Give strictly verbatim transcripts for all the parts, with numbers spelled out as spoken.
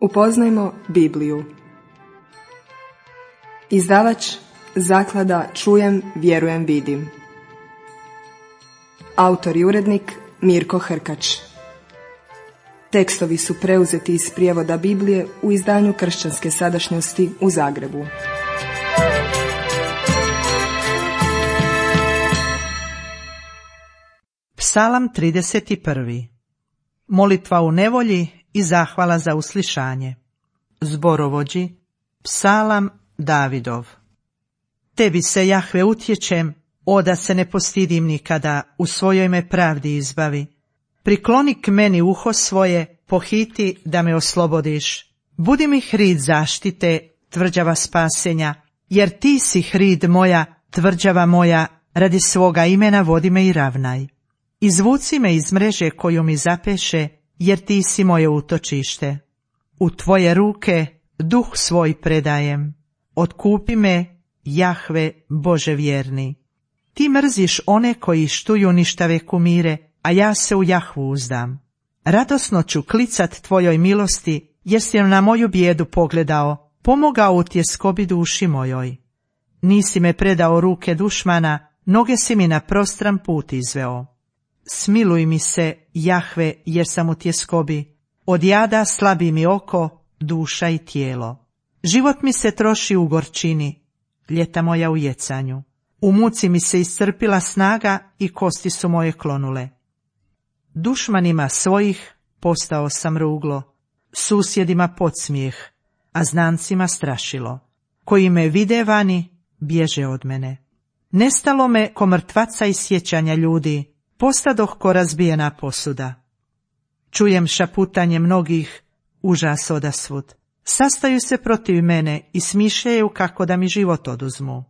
Upoznajmo Bibliju. Izdavač Zaklada Čujem, vjerujem, vidim. Autor i urednik Mirko Hrkač. Tekstovi su preuzeti iz prijevoda Biblije u izdanju Kršćanske sadašnjosti u Zagrebu. Psalam trideset prvi. Molitva u nevolji i zahvala za uslišanje. Zborovođi, Psalam Davidov. Tebi se, Jahve, utječem, o da se ne postidim nikada, u svojoj me pravdi izbavi. Prikloni k meni uho svoje, pohiti da me oslobodiš. Budi mi hrid zaštite, tvrđava spasenja, jer ti si hrid moja, tvrđava moja, radi svoga imena vodi me i ravnaj. Izvuci me iz mreže koju mi zapeše, jer ti si moje utočište. U tvoje ruke duh svoj predajem. Otkupi me, Jahve, Bože vjerni. Ti mrziš one koji štuju ništave kumire, a ja se u Jahvu uzdam. Radosno ću klicat tvojoj milosti, jer si na moju bijedu pogledao, pomogao u tjeskobi duši mojoj. Nisi me predao ruke dušmana, noge si mi na prostran put izveo. Smiluj mi se, Jahve, jer sam u tjeskobi. Od jada slabi mi oko, duša i tijelo. Život mi se troši u gorčini, ljeta moja u jecanju. U muci mi se iscrpila snaga i kosti su moje klonule. Dušmanima svojih postao sam ruglo, susjedima podsmijeh, a znancima strašilo. Koji me vide vani, bježe od mene. Nestalo me ko mrtvaca iz sjećanja ljudi, postadoh ko razbijena posuda. Čujem šaputanje mnogih, užas odasvud. Sastaju se protiv mene i smišljaju kako da mi život oduzmu.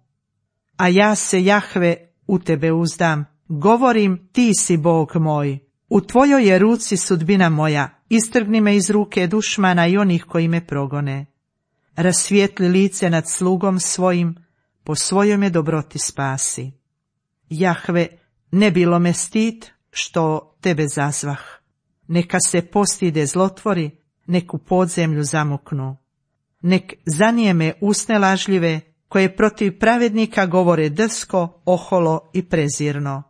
A ja se, Jahve, u tebe uzdam, govorim, ti si Bog moj. U tvojoj je ruci sudbina moja, istrgni me iz ruke dušmana i onih koji me progone. Rasvijetli lice nad slugom svojim, po svojoj me dobroti spasi. Jahve, ne bilo me stid što tebe zazvah. Neka se postide zlotvori, nek u podzemlju zamuknu. Nek zanijeme usne lažljive, koje protiv pravednika govore drsko, oholo i prezirno.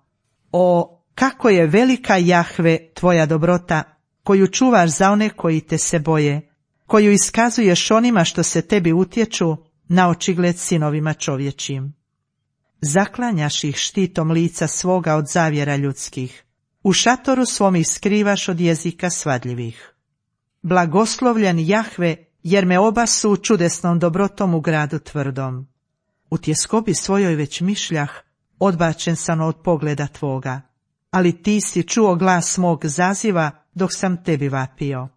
O, kako je velika, Jahve, tvoja dobrota, koju čuvaš za one koji te se boje, koju iskazuješ onima što se tebi utječu, na očigled sinovima čovječim. Zaklanjaš ih štitom lica svoga od zavjera ljudskih. U šatoru svom ih skrivaš od jezika svadljivih. Blagoslovljen, Jahve, jer me obasu čudesnom dobrotom u gradu tvrdom. U tjeskobi svojoj već mišljah, odbačen sam od pogleda tvoga, ali ti si čuo glas mog zaziva dok sam tebi vapio.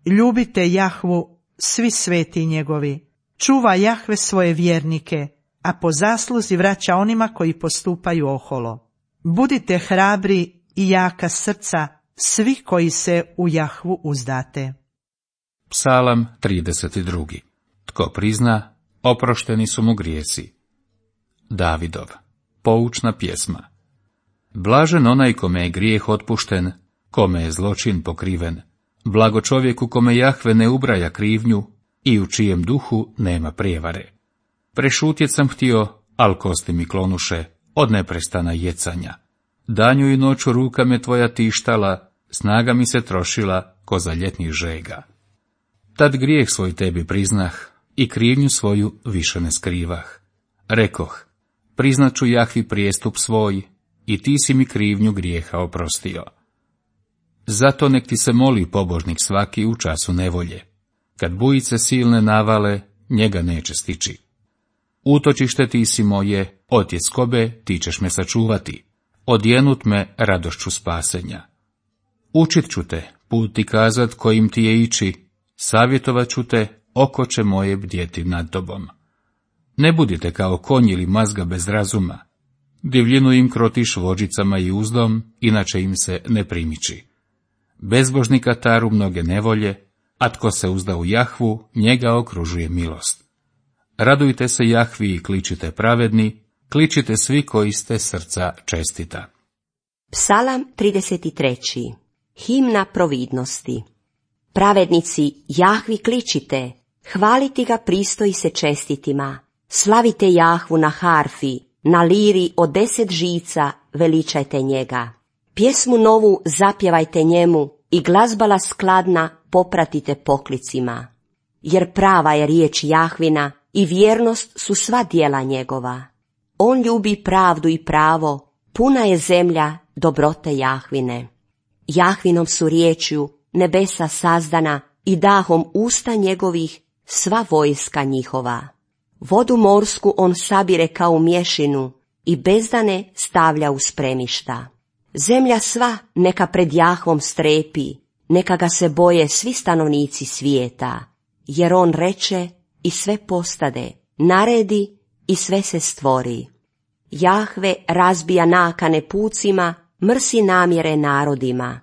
Ljubite Jahvu, svi sveti njegovi, čuva Jahve svoje vjernike, a po zasluzi vraća onima koji postupaju oholo. Budite hrabri i jaka srca, svi koji se u Jahvu uzdate. Psalam trideset drugi. Tko prizna, oprošteni su mu grijesi. Davidov. Poučna pjesma. Blažen onaj kome je grijeh otpušten, kome je zločin pokriven. Blago čovjeku kome Jahve ne ubraja krivnju i u čijem duhu nema prijevare. Prešutjet sam htio, al kosti mi klonuše, od neprestana jecanja. Danju i noću ruka me tvoja tištala, snaga mi se trošila ko za ljetnih žega. Tad grijeh svoj tebi priznah i krivnju svoju više ne skrivah. Rekoh, priznat ću Jahvi prijestup svoj i ti si mi krivnju grijeha oprostio. Zato nek ti se moli pobožnik svaki u času nevolje. Kad bujice silne navale, njega neće stići. Utočište ti si moje, od tjeskobe ti ćeš me sačuvati, odjenut me radošću spasenja. Učit ću te, put ti kazat kojim ti je ići, savjetovat ću te, oko će moje bdjeti nad tobom. Ne budite kao konj ili mazga bez razuma, divljinu im krotiš vođicama i uzdom, inače im se ne primiči. Bezbožnika taru mnoge nevolje, a tko se uzda u Jahvu, njega okružuje milost. Radujte se Jahvi i kličite pravedni, kličite svi koji ste srca čestita. Psalam trideset treći. Himna providnosti. Pravednici, Jahvi kličite, hvaliti ga pristoji se čestitima. Slavite Jahvu na harfi, na liri od deset žica veličajte njega. Pjesmu novu zapjevajte njemu i glazbala skladna popratite poklicima. Jer prava je riječ Jahvina i vjernost su sva djela njegova. On ljubi pravdu i pravo, puna je zemlja dobrote Jahvine. Jahvinom su riječju nebesa sazdana i dahom usta njegovih sva vojska njihova. Vodu morsku on sabire kao u mješinu i bezdane stavlja u spremišta. Zemlja sva neka pred Jahvom strepi, neka ga se boje svi stanovnici svijeta, jer on reče i sve postade, naredi i sve se stvori. Jahve razbija nakane pucima, mrsi namjere narodima.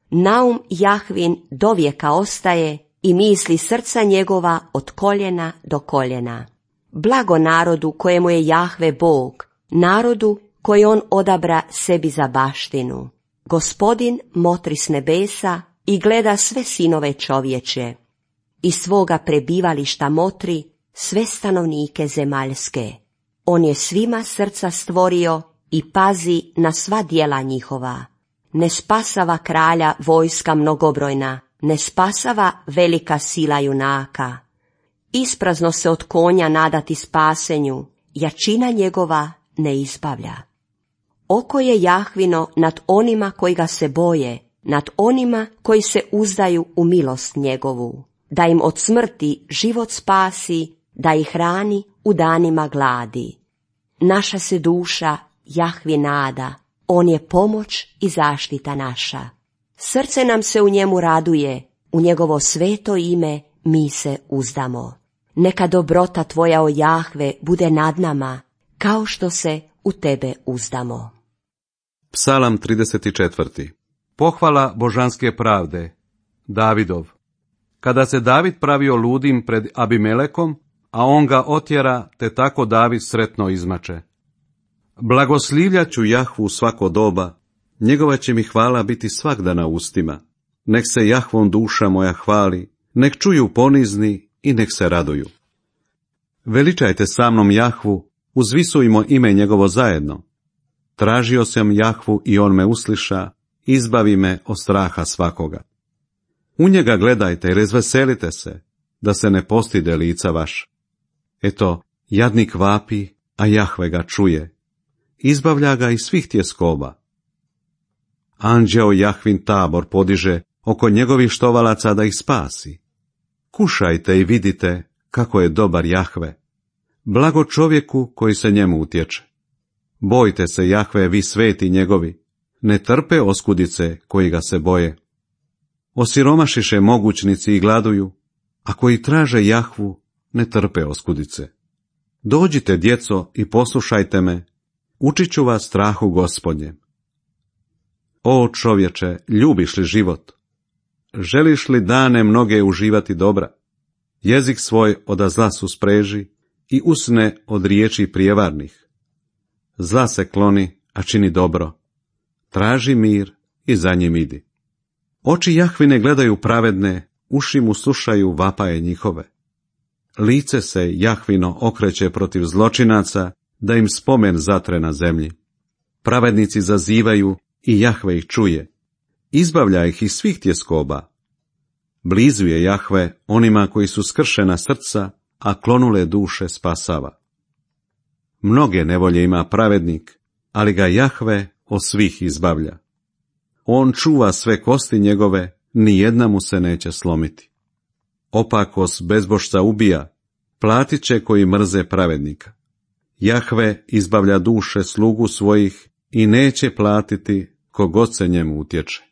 Naum Jahvin dovijeka ostaje i misli srca njegova od koljena do koljena. Blago narodu kojemu je Jahve Bog, narodu koji on odabra sebi za baštinu. Gospodin motri s nebesa i gleda sve sinove čovječe. Iz svoga prebivališta motri sve stanovnike zemaljske. On je svima srca stvorio i pazi na sva djela njihova. Ne spasava kralja vojska mnogobrojna, ne spasava velika sila junaka. Isprazno se od konja nadati spasenju, jačina njegova ne izbavlja. Oko je Jahvino nad onima koji ga se boje, nad onima koji se uzdaju u milost njegovu, da im od smrti život spasi, da ih hrani u danima gladi. Naša se duša Jahvi nada, on je pomoć i zaštita naša. Srce nam se u njemu raduje, u njegovo sveto ime mi se uzdamo. Neka dobrota tvoja, o Jahve, bude nad nama, kao što se u tebe uzdamo. Psalam trideset četvrti. Pohvala božanske pravde. Davidov. Kada se David pravio ludim pred Abimelekom, a on ga otjera, te tako David sretno izmače. Blagoslivljaću Jahvu svako doba, njegova će mi hvala biti svagda na ustima. Nek se Jahvom duša moja hvali, nek čuju ponizni i nek se raduju. Veličajte sa mnom Jahvu, uzvisujmo ime njegovo zajedno. Tražio sam Jahvu i on me usliša, izbavi me od straha svakoga. U njega gledajte i razveselite se, da se ne postide lica vaš. Eto, jadnik vapi, a Jahve ga čuje. Izbavlja ga iz svih tjeskoba. Anđeo Jahvin tabor podiže oko njegovih štovalaca da ih spasi. Kušajte i vidite kako je dobar Jahve. Blago čovjeku koji se njemu utječe. Bojte se Jahve, vi sveti njegovi, ne trpe oskudice koji ga se boje. Osiromašiše mogućnici i gladuju, a koji traže Jahvu ne trpe oskudice. Dođite, djeco, i poslušajte me, učit ću vas strahu Gospodnjem. O čovječe, ljubiš li život? Želiš li dane mnoge uživati dobra? Jezik svoj od zla suspreži i usne od riječi prijevarnih. Zla se kloni, a čini dobro. Traži mir i za njim idi. Oči Jahvine gledaju pravedne, uši mu slušaju vapaje njihove. Lice se Jahvino okreće protiv zločinaca, da im spomen zatre na zemlji. Pravednici zazivaju i Jahve ih čuje. Izbavlja ih iz svih tjeskoba. Blizu je Jahve onima koji su skršena srca, a klonule duše spasava. Mnoge nevolje ima pravednik, ali ga Jahve od svih izbavlja. On čuva sve kosti njegove, ni jedna mu se neće slomiti. Opakos bezbožca ubija, platit će koji mrze pravednika. Jahve izbavlja duše slugu svojih i neće platiti kogod se njemu utječe.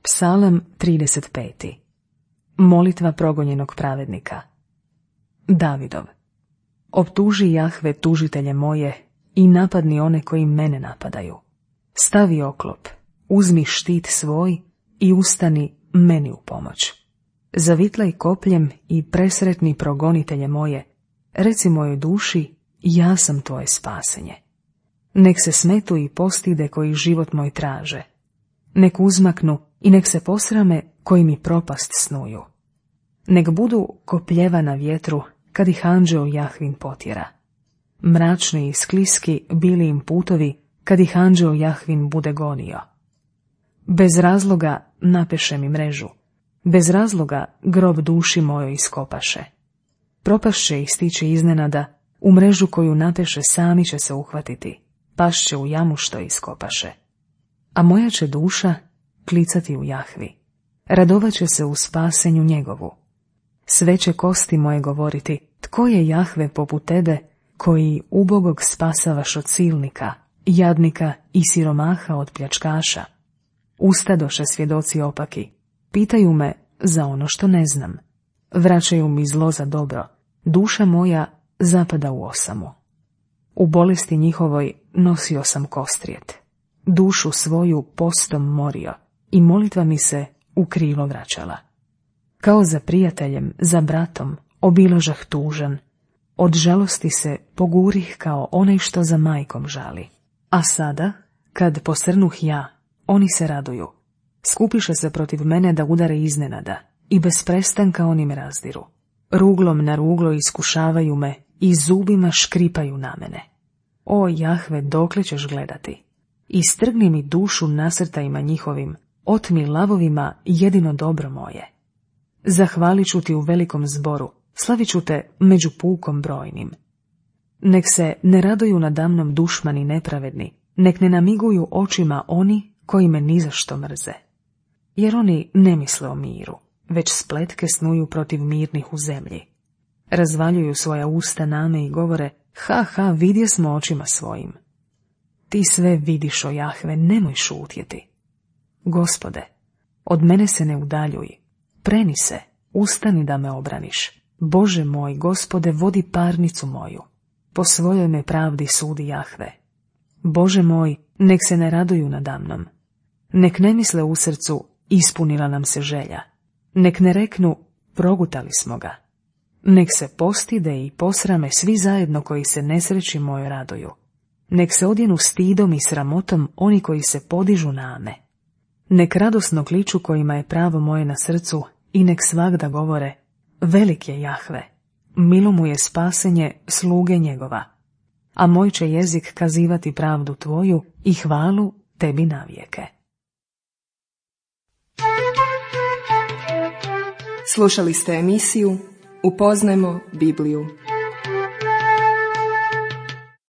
Psalam trideset peti. Molitva progonjenog pravednika. Davidov. Optuži Jahve tužitelje moje i napadni one koji mene napadaju. Stavi oklop, uzmi štit svoj i ustani meni u pomoć. Zavitlaj kopljem i presretni progonitelje moje, reci mojoj duši, ja sam tvoje spasenje. Nek se smetu i postide koji život moj traže. Nek uzmaknu i nek se posrame koji mi propast snuju. Nek budu kopljeva na vjetru, kad ih anđeo Jahvin potjera. Mračni i skliski bili im putovi, kad ih anđeo Jahvin bude gonio. Bez razloga napeše mi mrežu, bez razloga grob duši mojoj iskopaše. Propašće ih stići iznenada, u mrežu koju napeše sami će se uhvatiti, pašće u jamu što iskopaše. A moja će duša klicati u Jahvi, radovat će se u spasenju njegovu. Sve će kosti moje govoriti, tko je Jahve poput tebe, koji ubogog spasavaš od silnika, jadnika i siromaha od pljačkaša. Ustadoše svjedoci opaki, pitaju me za ono što ne znam. Vraćaju mi zlo za dobro, duša moja zapada u osamu. U bolesti njihovoj nosio sam kostrijet, dušu svoju postom morio i molitva mi se u krilo vraćala. Kao za prijateljem, za bratom, obilažah tužan, od žalosti se pogurih kao onaj što za majkom žali. A sada, kad posrnuh ja, oni se raduju. Skupiše se protiv mene da udare iznenada i bez prestanka oni me razdiru. Ruglom na ruglo iskušavaju me i zubima škripaju na mene. O Jahve, dokle ćeš gledati? Istrgni mi dušu nasrtajima njihovim, otmi lavovima jedino dobro moje. Zahvalit ću ti u velikom zboru, slavit ću te među pukom brojnim. Nek se ne raduju nadamnom dušmani nepravedni, nek ne namiguju očima oni koji me nizašto mrze. Jer oni ne misle o miru, već spletke snuju protiv mirnih u zemlji. Razvaljuju svoja usta name i govore, ha ha, vidje smo očima svojim. Ti sve vidiš, o Jahve, nemoj šutjeti. Gospode, od mene se ne udaljuj, preni se, ustani da me obraniš. Bože moj, Gospode, vodi parnicu moju, po svojoj me pravdi sudi Jahve. Bože moj, nek se ne raduju nadamnom, nek ne misle u srcu, ispunila nam se želja, nek ne reknu, progutali smo ga. Nek se postide i posrame svi zajedno koji se nesreći mojoj raduju. Nek se odjenu stidom i sramotom oni koji se podižu na me. Nek radosno kliču kojima je pravo moje na srcu i nek svagda govore, velik je Jahve, milo mu je spasenje sluge njegova, a moj će jezik kazivati pravdu tvoju i hvalu tebi navijeke. Slušali ste emisiju Upoznajmo Bibliju.